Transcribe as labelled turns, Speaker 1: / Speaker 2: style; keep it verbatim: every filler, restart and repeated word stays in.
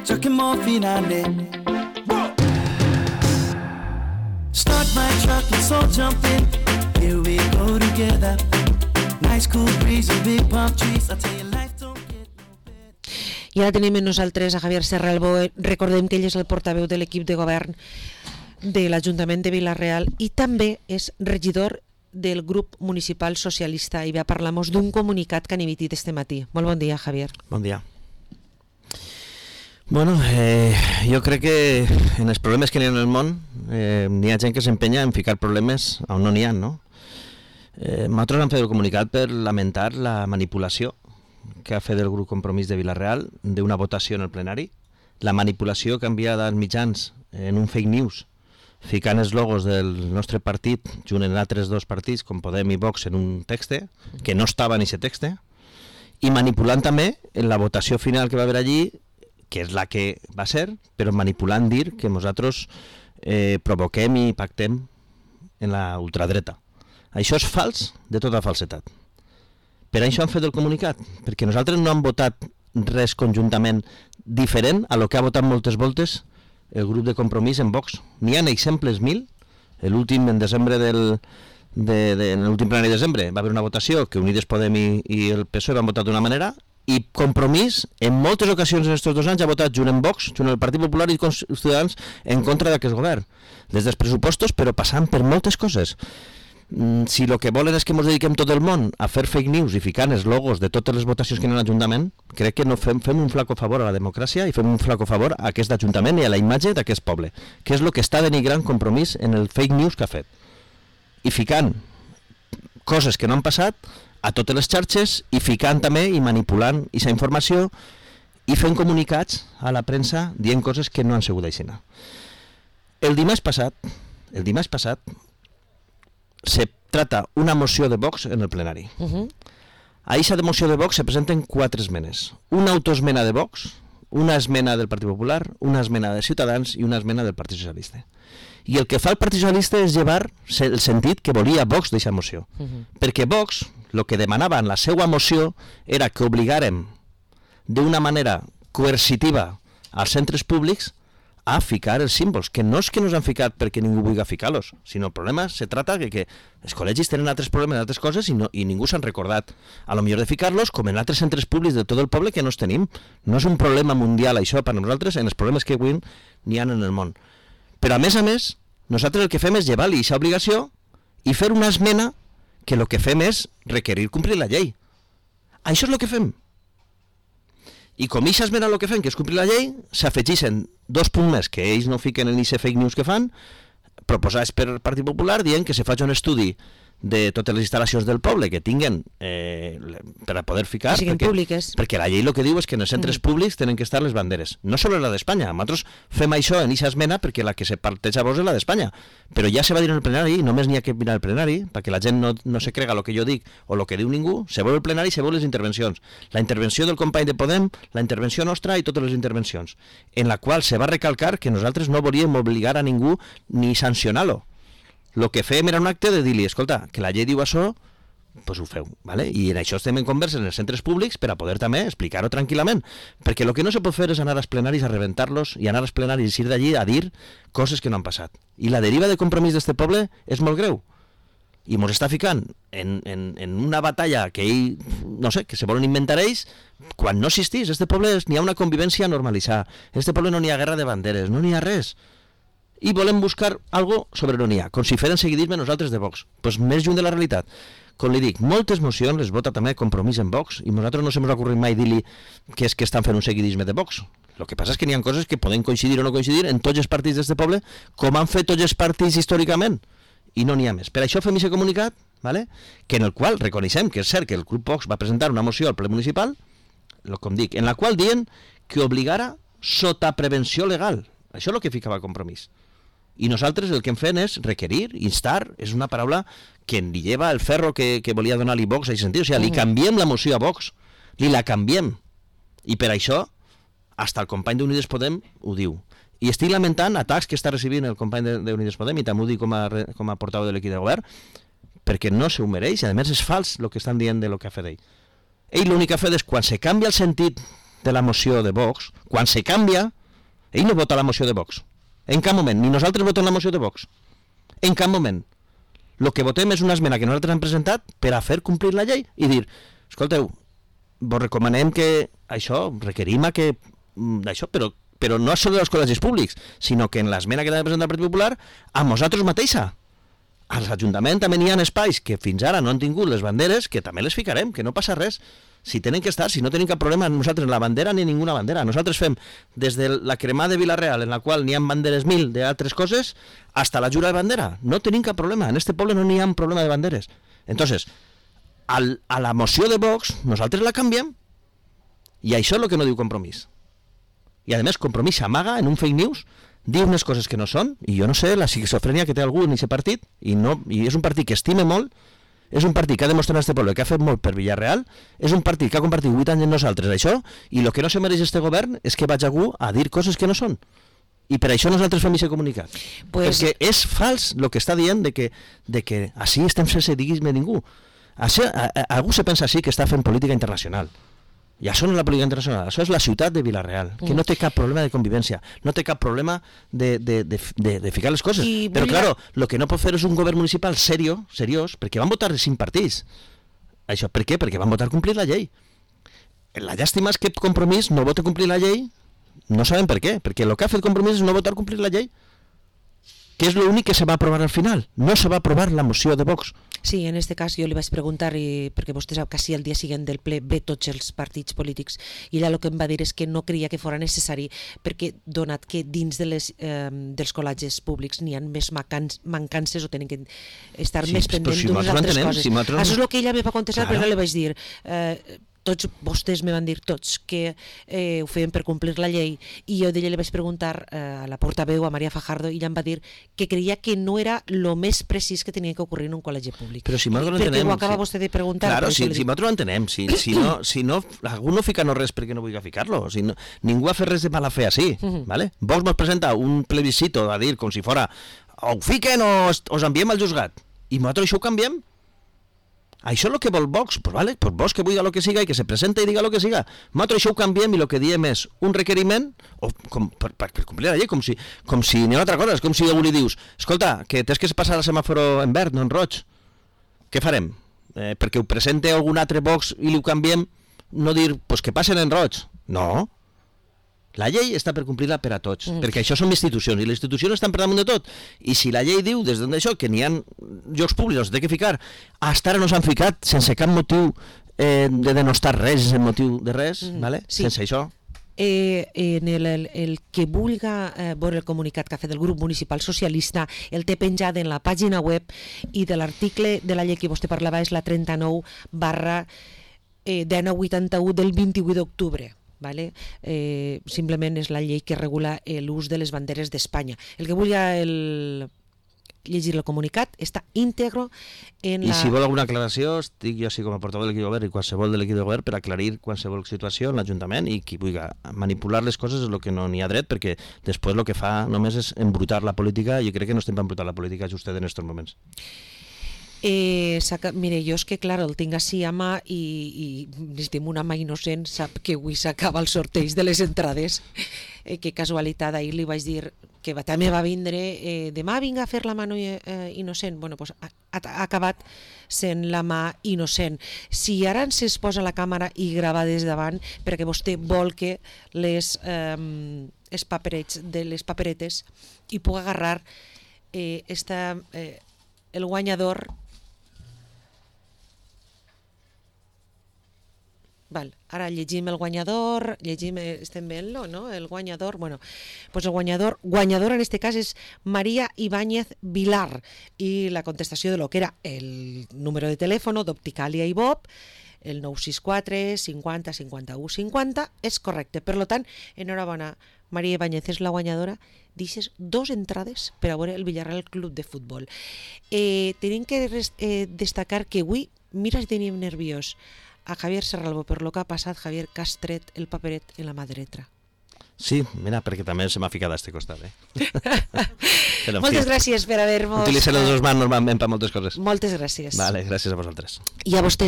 Speaker 1: Chucking morphine on it. Start my truck, let's all jump in. Here we go together. Nice cool breeze and big palm trees. I tell you life don't get no better.
Speaker 2: I ara tenim amb nosaltres a Javier Serralbo. Recordem que ell és el portaveu de l'equip de govern de l'Ajuntament de Vila-real i també és regidor del grup municipal socialista i ve a parlar-nos d'un comunicat que han emitit este matí. Molt bon dia, Javier.
Speaker 3: Bon dia. Bueno, eh, jo crec que en els problemes que hi ha en el món eh, n'hi ha gent que s'empenya en ficar problemes on no n'hi ha, no? Eh, nosaltres hem fet el comunicat per lamentar la manipulació que ha fet el grup Compromís de Vila-real d'una votació en el plenari, la manipulació que ha enviat als mitjans en un fake news ficant els logos del nostre partit junt amb altres dos partits com Podem i Vox en un text que no estava en aquest text i manipulant també en la votació final que va haver allí, que és la que va ser, però manipulant dir que nosaltres eh, provoquem i pactem en la ultradreta. Això és fals de tota falsetat. Per això han fet el comunicat, perquè nosaltres no hem votat res conjuntament diferent a lo que ha votat moltes voltes el grup de Compromís en Vox. N'hi ha exemples mil. L'últim en desembre del de, de, en l'últim plenari de desembre va haver una votació que Unides Podem i, i el P S O E van votar d'una manera i Compromís en moltes ocasions en aquests dos anys ha votat junt amb Vox, junt amb el Partit Popular i els Ciutadans en contra d'aquest govern. Des dels pressupostos, però passant per moltes coses. Si el que volen és que ens dediquem tot el món a fer fake news i ficant els logos de totes les votacions que hi ha a l'Ajuntament, crec que no fem, fem un flaco favor a la democràcia i fem un flaco favor a aquest Ajuntament i a la imatge d'aquest poble, que és el que està denigrant Compromís en el fake news que ha fet. I ficant coses que no han passat a totes les xarxes i ficant també i manipulant aquesta informació i fent comunicats a la premsa dient coses que no han sigut així. El dimarts passat, el dimarts passat, se trata una moció de Vox en el plenari. Uh-huh. A aquesta moció de Vox se presenten quatre esmenes. Una autoesmena de Vox, una esmena del Partit Popular, una esmena de Ciutadans i una esmena del Partit Socialista. I el que fa el Partit Socialista és llevar el sentit que volia Vox d'aquesta moció. Uh-huh. Perquè Vox, el que demanava en la seva moció era que obligàrem d'una manera coercitiva als centres públics a ficar els símbols, que no és que no s'han ficat perquè ningú vulgui ficar-los, sinó el problema se trata de que els col·legis tenen altres problemes, altres coses, i, no, i ningú s'han recordat a lo millor de ficar-los, com en altres centres públics de tot el poble que no els tenim. No és un problema mundial això per nosaltres, en els problemes que avui n'hi ha en el món. Però a més a més, nosaltres el que fem és llevar-li aquesta obligació i fer una esmena que el que fem és requerir complir la llei. Això és el que fem. I com aquesta esmena el que fem, que és complir la llei, s'afegeixen dos punts més que ells no fiquen en aquest fake news que fan, proposats per el Partit Popular, dient que se faci un estudi de totes les instal·lacions del poble que tinguen eh, per a poder ficar,
Speaker 2: que siguin
Speaker 3: perquè,
Speaker 2: públiques.
Speaker 3: Perquè la llei el que diu és que en els centres mm. públics tenen que estar les banderes. No sols la d'Espanya, nosaltres fem això en aquesta esmena perquè la que se parteja vos és la d'Espanya, però ja se va dir en el plenari, només n'hi ha que mirar el plenari, perquè la gent no, no se crega el que jo dic o el que diu ningú, se vol el plenari i se vol les intervencions. La intervenció del company de Podem, la intervenció nostra i totes les intervencions, en la qual se va recalcar que nosaltres no volíem obligar a ningú ni sancionar-lo. El que fèiem era un acte de dir-li, escolta, que la llei diu això, doncs ho feu, ¿vale? I en això estem en conversa en els centres públics per a poder també explicar-ho tranquil·lament, perquè el que no se pot fer és anar als plenaris a rebentar-los i anar als plenaris i ir d'allí a dir coses que no han passat. I la deriva de Compromís d'este poble és molt greu. I ens està ficant en, en, en una batalla que ell, no sé, que se volen inventar ells, quan no existís. Este poble n'hi ha una convivència normalitzada. Este poble no n'hi ha guerra de banderes, no n'hi ha res. I volem buscar algo sobre on n'hi ha, com si feren seguidisme nosaltres de Vox. Doncs pues més lluny de la realitat. Com li dic, moltes mocions les vota també Compromís en Vox, i nosaltres no se m'ha ocorrit mai dir-li que és que estan fent un seguidisme de Vox. El que passa és que n'hi ha coses que poden coincidir o no coincidir en tots els partits d'aquest poble, com han fet tots els partits històricament, i no n'hi ha més. Per això fem aquest comunicat, ¿vale? Que en el qual reconeixem que és cert que el grup Vox va presentar una moció al ple municipal, com dic, en la qual diuen que obligara sota prevenció legal. Això és el que ficava Compromís. I nosaltres el que hem fet és requerir, instar, és una paraula que li lleva el ferro que, que volia donar-li Vox a aquest sentit. O sigui, li canviem la moció a Vox, li la canviem. I per això, hasta el company d'Unides Podem ho diu. I estic lamentant atacs que està recibint el company d'Unides Podem, i també ho dic com a, com a portaveu de l'equip de govern, perquè no se ho mereix, i a més és fals el que estan dient de lo que ha fet ell. Ell l'únic que ha fet és, quan se canvia el sentit de la moció de Vox, quan se canvia, Ell no vota la moció de Vox. En cap moment. Ni nosaltres votem la moció de Vox. En cap moment. El que votem és una esmena que nosaltres hem presentat per a fer complir la llei i dir, escolteu, vos recomanem que això, requerim a que d'això, però, però no és sobre els col·legis públics, sinó que en l'esmena que també presenta el Partit Popular, a nosaltres mateixa. Als ajuntaments també n'hi ha espais que fins ara no han tingut les banderes, que també les ficarem, que no passa res. Si tenen que estar, si no tenim cap problema nosaltres la bandera ni ninguna bandera. Nosaltres fem des de la cremada de Vila-real, en la qual n'hi ha banderes mil d'altres coses, hasta la jura de bandera. No tenim cap problema. En este poble no n'hi ha un problema de banderes. Entonces, al, a la moció de Vox, nosaltres la canviem i això és el que no diu Compromís. I a més, Compromís s'amaga en un fake news, diu unes coses que no són, i jo no sé la esquizofrènia que té algú en aquest partit, i, no, i és un partit que estime molt, és un partit que ha demostrat en este poble que ha fet molt per Villarreal, és un partit que ha compartit vuit anys amb nosaltres això, i el que no se mereix este govern és que vaig algú a dir coses que no són. I per això nosaltres fem aquest comunicat. Pues... Perquè és fals el que està dient de que, de que així estem sense diguisme ningú. Això, a, a, algú se pensa així que està fent política internacional. I això no és la política internacional, això és la ciutat de Vila-real, que no té cap problema de convivència, no té cap problema de, de, de, de, de ficar les coses. I però, clar, el que no pot fer és un govern municipal serio, seriós, perquè van votar cinc partits. Això, per què? Perquè van votar complir la llei. La llàstima és que Compromís no vota complir la llei, no sabem per què, perquè el que ha fet Compromís és no votar complir la llei, que és l'únic que se va aprovar al final. No se va aprovar la moció de Vox.
Speaker 2: Sí, en este cas jo li vaig preguntar, i, perquè vostè sap que sí, el dia següent del ple ve tots els partits polítics, i ella el que em va dir és que no creia que fora necessari, perquè donat que dins de les, eh, dels col·legis públics n'hi ha més mancances o tenen que estar sí, més pendents si d'unes altres coses. Si Això és el que ella me va contestar, claro. Però li vaig dir... Eh, tots vostès me van dir tots que eh, ho feien per complir la llei, i jo d'ella li vaig preguntar eh, a la portaveu, a Maria Fajardo, i ella em va dir que creia que no era el més precís que tenia que ocorrir en un col·legi públic.
Speaker 3: Però si nosaltres no entenem...
Speaker 2: Perquè ho acaba si... vostè de preguntar.
Speaker 3: Claro, si, si nosaltres no entenem, si, si, no, si no, algú no fica no res perquè no vulgui ficar-lo, si no, ningú ha fet res de mala fe així, uh-huh. ¿Vale? Vox nos presenta un plebiscito a dir com si fora o ho fiquen o os enviem al juzgat, i nosaltres això ho canviem. Això és el que vol Vox, pues vale, pues Vox que vulgui el que siga i que se presenta i diga el que siga. Nosaltres això ho canviem i el que diem és un requeriment o com, per, per, per complir la llei, com si, com si n'hi ha una altra cosa, és com si algú li dius escolta, que tens que passar el semàforo en verd, no en roig. Què farem? Eh, perquè ho presente algun altre Vox i li ho canviem, no dir, pues que passen en roig. No. La llei està per complir-la per a tots, mm. perquè això són institucions, i les institucions estan per damunt de tot. I si la llei diu, des d'això, que n'hi ha llocs públics on s'ha de ficar, fins ara no s'han ficat sense cap motiu eh, de denostar res, sense motiu de res, mm. ¿vale? Sí. Sense això.
Speaker 2: Eh, en el, el, el que vulga eh, veure el comunicat que ha fet el grup municipal socialista el té penjat en la pàgina web, i de l'article de la llei que vostè parlava és la trenta-nou barra dinou vuitanta-u del vint-i-vuit d'octubre. Vale? Eh, simplement és la llei que regula l'ús de les banderes d'Espanya. El que vulgui el... llegir el comunicat està íntegro en
Speaker 3: I
Speaker 2: la...
Speaker 3: I si vol alguna aclaració, estic jo així com a portaveu de l'equip de govern i qualsevol de l'equip de govern per aclarir qualsevol situació en l'Ajuntament, i qui vulgui manipular les coses és el que no n'hi ha dret, perquè després el que fa només és embrutar la política, i jo crec que no estem per embrutar la política justet en aquests moments.
Speaker 2: Eh, mire, jo és que clar, el tinc així a mà i, i estem una mà innocent, sap que avui s'acaba el sorteig de les entrades, eh, que casualitat, ahir li vaig dir que va, també va vindre, eh, demà vinga a fer la mà no, eh, innocent, bueno, pues ha, ha acabat sent la mà innocent. Si ara ens posa la càmera i grava des davant, perquè vostè vol que les, eh, els paperets de les paperetes i pugui agarrar eh, esta, eh, el guanyador. Val, ara llegim el guanyador, llegim, estem veient-lo, no? El guanyador, bueno, pues el guanyador, guanyador en este cas és María Ibáñez Vilar, i la contestació de lo que era el número de telèfon d'Opticalia i Bob, el nou sis quatre cinquanta cinquanta-u cinquanta, és correcte. Per tant, enhorabona, María Ibáñez és la guanyadora d'ixes dos entrades per a veure el Villarreal Club de Futbol. Eh, tenim que eh, destacar que avui, mira si tenim nerviós a Javier Serralbo per lo que ha passat, Javier, que has tret el paperet en la mà dreta.
Speaker 3: Sí, mira, perquè també se m'ha ficat a este costat. Eh?
Speaker 2: Però, moltes fi, gràcies per haver-nos...
Speaker 3: Utilitzem les dues mans normalment per moltes coses.
Speaker 2: Moltes gràcies.
Speaker 3: Vale, gràcies a vosaltres.
Speaker 2: I a vostès.